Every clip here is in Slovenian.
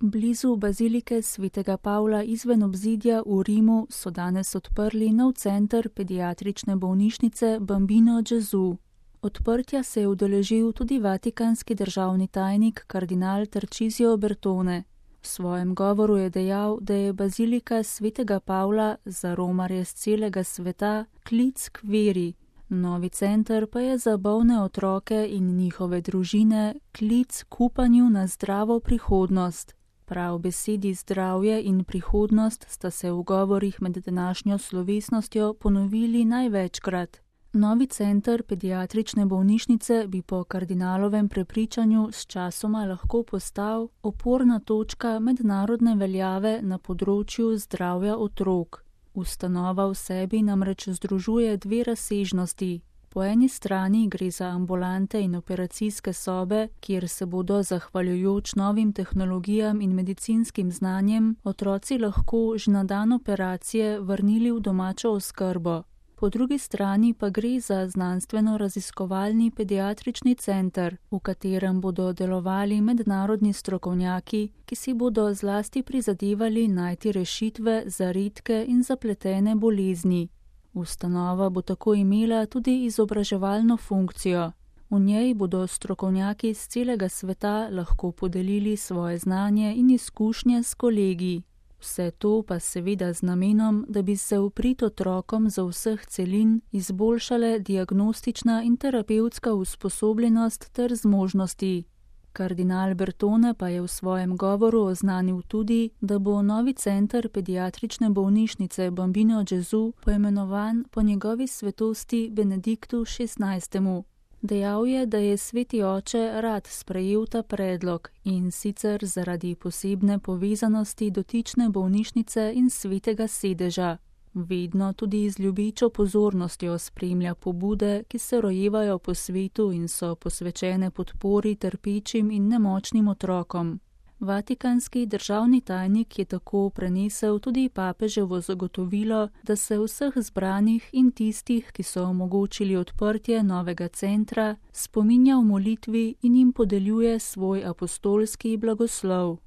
Blizu bazilike svetega Pavla izven obzidja v Rimu so danes odprli nov center pediatrične bolnišnice Bambino Gesù. Odprtja se je udeležil tudi vatikanski državni tajnik kardinal Tarcisio Bertone. V svojem govoru je dejal, da je bazilika svetega Pavla za romarje z celega sveta klic k veri. Novi center pa je za bolne otroke in njihove družine klic k upanju na zdravo prihodnost. Prav besedi zdravje in prihodnost sta se v govorih med današnjo slovesnostjo ponovili največkrat. Novi center pediatrične bolnišnice bi po kardinalovem prepričanju s časoma lahko postal oporna točka mednarodne veljave na področju zdravja otrok. Ustanova v sebi namreč združuje dve razsežnosti. Po eni strani gre za ambulante in operacijske sobe, kjer se bodo zahvaljujoč novim tehnologijam in medicinskim znanjem otroci lahko že na dan operacije vrnili v domačo oskrbo. Po drugi strani pa gre za znanstveno-raziskovalni pediatrični center, v katerem bodo delovali mednarodni strokovnjaki, ki si bodo zlasti prizadevali najti rešitve za redke in zapletene bolezni. Ustanova bo tako imela tudi izobraževalno funkcijo. V njej bodo strokovnjaki z celega sveta lahko podelili svoje znanje in izkušnje s kolegi. Vse to pa seveda z namenom, da bi se v prid otrokom za vseh celin izboljšale diagnostična in terapevtska usposobljenost ter zmožnosti. Kardinal Bertone pa je v svojem govoru oznanil tudi, da bo novi center pediatrične bolnišnice Bambino Gesù poimenovan po njegovi svetosti Benediktu XVI. Dejal je, da je sveti oče rad sprejel ta predlog in sicer zaradi posebne povezanosti dotične bolnišnice in svetega sedeža. Vedno tudi z ljubečo pozornostjo spremlja pobude, ki se rojevajo po svetu in so posvečene podpori trpečim in nemočnim otrokom. Vatikanski državni tajnik je tako prenesel tudi papeževo zagotovilo, da se vseh zbranih in tistih, ki so omogočili odprtje novega centra, spominja v molitvi in jim podeljuje svoj apostolski blagoslov.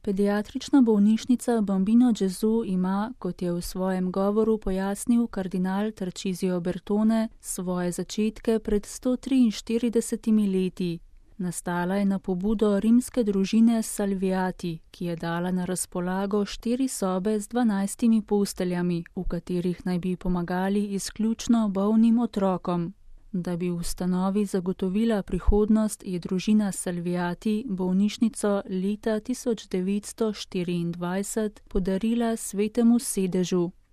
Pediatrična bolnišnica Bambino Gesù ima, kot je v svojem govoru pojasnil kardinal Tarcisio Bertone, svoje začetke pred 143 leti. Nastala je na pobudo rimske družine Salviati, ki je dala na razpolago 4 sobe z 12 posteljami, v katerih naj bi pomagali izključno bolnim otrokom. Da bi ustanovi zagotovila prihodnost, je družina Salviati bolnišnico leta 1924 podarila svetemu sedežu.